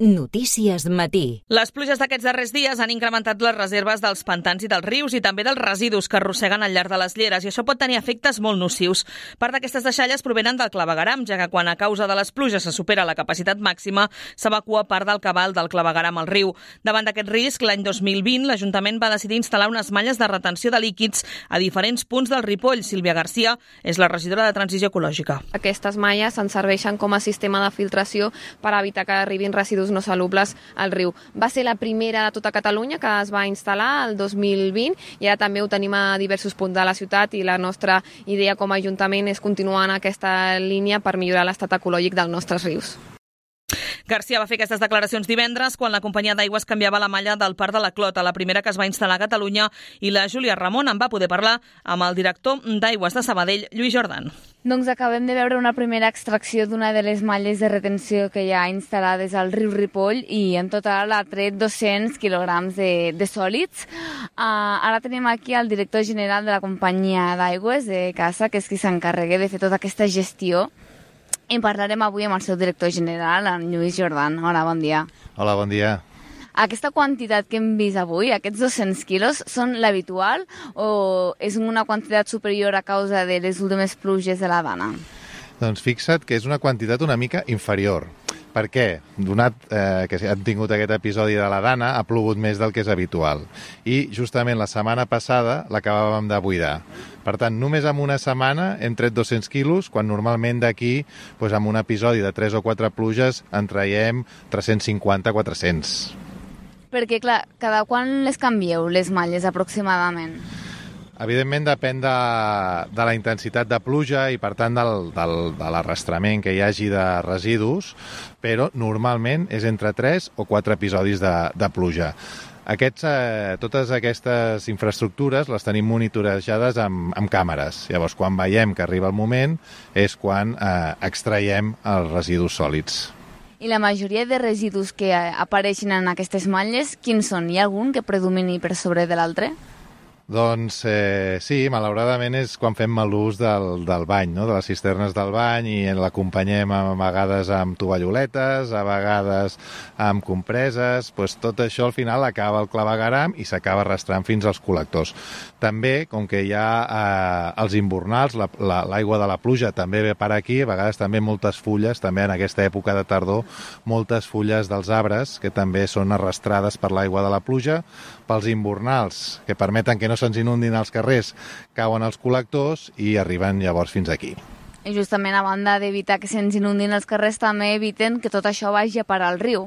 Notícies Matí. Les pluges d'aquests darrers dies han incrementat les reserves dels pantans i dels rius i també dels residus que arrosseguen al llarg de les lleres, i això pot tenir efectes molt nocius. Part d'aquestes deixalles provenen del clavegueram, ja que quan a causa de les pluges se supera la capacitat màxima, s'evacua part del cabal del clavegueram al riu. Davant d'aquest risc, l'any 2020, l'Ajuntament va decidir instal·lar unes malles de retenció de líquids a diferents punts del Ripoll. Sílvia Garcia és la regidora de Transició Ecològica. Aquestes malles ens serveixen com a sistema de filtració per evitar que arribin residus no salubles al riu. Va ser la primera de tota Catalunya que es va instal·lar el 2020 i ara també ho tenim a diversos punts de la ciutat, i la nostra idea com a Ajuntament és continuar en aquesta línia per millorar l'estat ecològic dels nostres rius. Garcia va fer aquestes declaracions divendres quan la companyia d'aigües canviava la malla del Parc de la Clota, la primera que es va instal·lar a Catalunya, i la Júlia Ramon en va poder parlar amb el director d'Aigües de Sabadell, Lluís Jordan. Doncs acabem de veure una primera extracció d'una de les malles de retenció que hi ha instal·lades al riu Ripoll, i en total ha tret 200 quilograms de sòlids. Ara tenim aquí el director general de la companyia d'aigües de Casa, que és qui s'encarrega de fer tota aquesta gestió. I parlarem avui amb el seu director general, en Lluís Jordan. Hola, bon dia. Hola, bon dia. Aquesta quantitat que hem vist avui, aquests 200 quilos, són l'habitual o és una quantitat superior a causa de les últimes pluges de la Dana? Doncs fixa't que és una quantitat una mica inferior. Per què? Donat que han tingut aquest episodi de la Dana, ha plogut més del que és habitual. I justament la setmana passada l'acabàvem de buidar. Per tant, només en una setmana hem tret 200 quilos, quan normalment d'aquí, doncs, amb un episodi de 3 o 4 pluges, en traiem 350-400. Perquè, clar, cada quan les canvieu, les malles, aproximadament? Evidentment depèn de la intensitat de pluja i, per tant, de l'arrastrament que hi hagi de residus, però normalment és entre 3 o 4 episodis de pluja. Totes aquestes infraestructures les tenim monitorejades amb càmeres. Llavors, quan veiem que arriba el moment, és quan extraiem els residus sòlids. I la majoria de residus que apareixen en aquestes malles, quins són? Hi ha algun que predomini per sobre de l'altre? Doncs sí, malauradament és quan fem mal ús del bany, no? De les cisternes del bany, i l'acompanyem a vegades amb tovalloletes, a vegades amb compreses. Doncs tot això al final acaba al clavegueram i s'acaba arrastrant fins als col·lectors. També, com que hi ha els invernals, l'aigua de la pluja també ve per aquí, a vegades també moltes fulles, també en aquesta època de tardor, moltes fulles dels arbres que també són arrastrades per l'aigua de la pluja, pels invernals, que permeten que no se'ns inundin els carrers, cauen als col·lectors i arriben llavors fins aquí. I justament, a banda d'evitar que se'ns inundin els carrers, també eviten que tot això vagi a parar al riu.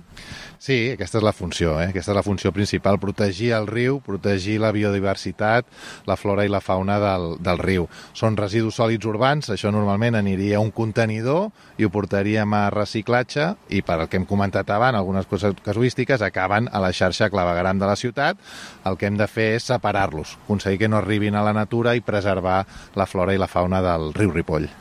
Sí, aquesta és la funció, aquesta és la funció principal, protegir el riu, protegir la biodiversitat, la flora i la fauna del riu. Són residus sòlids urbans, això normalment aniria a un contenidor i ho portaríem a reciclatge, i per el que hem comentat abans, algunes casuístiques acaben a la xarxa clavegueram de la ciutat. El que hem de fer és separar-los, aconseguir que no arribin a la natura i preservar la flora i la fauna del riu Ripoll.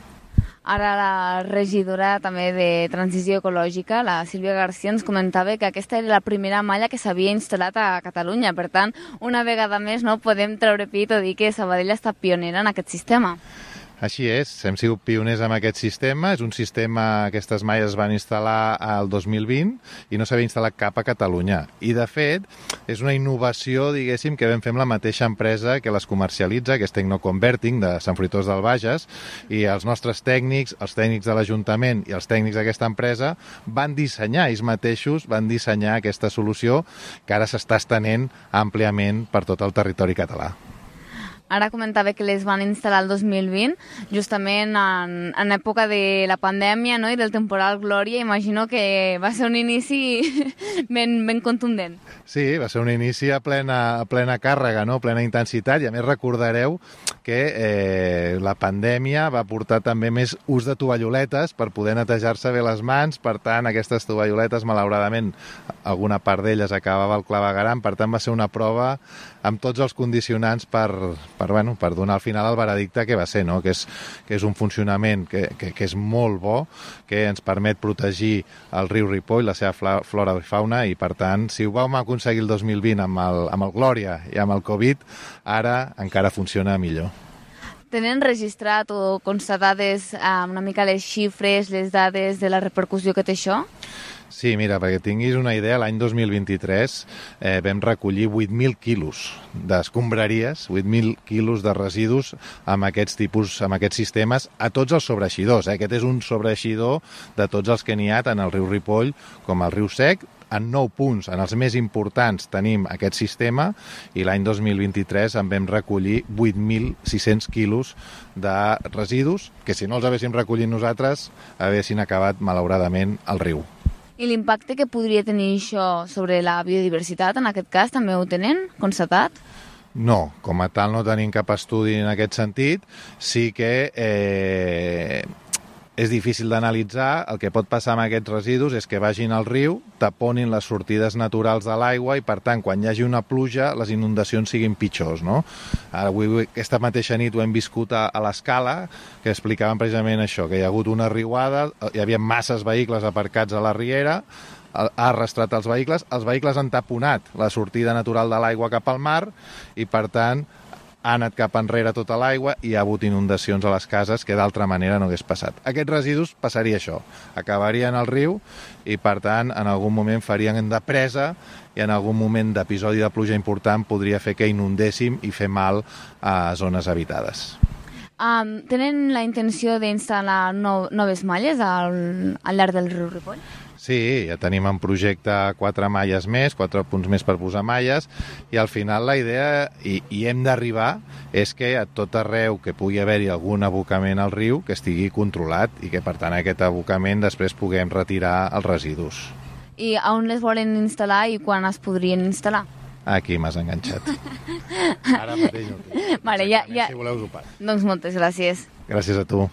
Ara la regidora també de Transició Ecològica, la Sílvia Garcia, ens comentava que aquesta era la primera malla que s'havia instal·lat a Catalunya. Per tant, una vegada més no podem treure pit o dir que Sabadell ha estat pionera en aquest sistema. Així és, hem sigut pioners amb aquest sistema. És un sistema, aquestes malles es van instal·lar al 2020 i no s'havia instal·lat cap a Catalunya. I, de fet, és una innovació, diguéssim, que vam fer amb la mateixa empresa que les comercialitza, que és Tecnoconverting, de Sant Fruitós del Bages, i els nostres tècnics, els tècnics de l'Ajuntament i els tècnics d'aquesta empresa van dissenyar, ells mateixos van dissenyar aquesta solució que ara s'està estenent àmpliament per tot el territori català. Ara comentava que les van instal·lar el 2020, justament en època de la pandèmia, no? I del temporal Glòria. Imagino que va ser un inici ben contundent. Sí, va ser un inici a plena càrrega, no? Plena intensitat, i a més recordareu que la pandèmia va portar també més ús de tovalloletes per poder netejar-se bé les mans. Per tant, aquestes tovalloletes, malauradament, alguna part d'elles acabava al clavegueram. Per tant, va ser una prova amb tots els condicionants per donar al final el veredicte que va ser, no? Que és un funcionament que és molt bo, que ens permet protegir el riu Ripoll, la seva flora i fauna, i per tant, si ho vam aconseguir el 2020 amb el Glòria i amb el Covid, ara encara funciona millor. Tenen registrat o constatades una mica les xifres, les dades de la repercussió que té això? Sí, mira, perquè tinguis una idea, l'any 2023 vam recollir 8.000 quilos d'escombraries, 8.000 quilos de residus amb aquests sistemes a tots els sobreeixidors. Aquest és un sobreeixidor de tots els que n'hi ha, tant al riu Ripoll com al riu Sec. En 9 punts, en els més importants, tenim aquest sistema i l'any 2023 en vam recollir 8.600 quilos de residus que si no els haguéssim recollit nosaltres haguessin acabat, malauradament, al riu. I l'impacte que podria tenir això sobre la biodiversitat, en aquest cas, també ho tenen constatat? No, com a tal no tenim cap estudi en aquest sentit. Sí que és difícil d'analitzar. El que pot passar amb aquests residus és que vagin al riu, taponin les sortides naturals de l'aigua i, per tant, quan hi hagi una pluja, les inundacions siguin pitjors, no? Ara, avui, aquesta mateixa nit ho hem viscut a l'Escala, que explicaven precisament això, que hi ha hagut una riuada, hi havia masses vehicles aparcats a la riera, ha arrastrat els vehicles han taponat la sortida natural de l'aigua cap al mar i, per tant, ha anat cap enrere tota l'aigua i hi ha hagut inundacions a les cases que d'altra manera no hagués passat. Aquests residus passaria això, acabarien al riu i, per tant, en algun moment farien de presa i en algun moment d'episodi de pluja important podria fer que inundéssim i fer mal a zones habitades. Tenen la intenció d'instal·lar noves malles al llarg del riu Ripoll? Sí, ja tenim en projecte 4 malles més, 4 punts més per posar malles, i al final la idea, i hem d'arribar, és que a tot arreu que pugui haver-hi algun abocament al riu que estigui controlat i que, per tant, aquest abocament després puguem retirar els residus. I on les volen instal·lar i quan es podrien instal·lar? Aquí m'has enganxat. Ara mateix no. Vale, ja. Si voleu us ho passo. Doncs moltes gràcies. Gràcies a tu.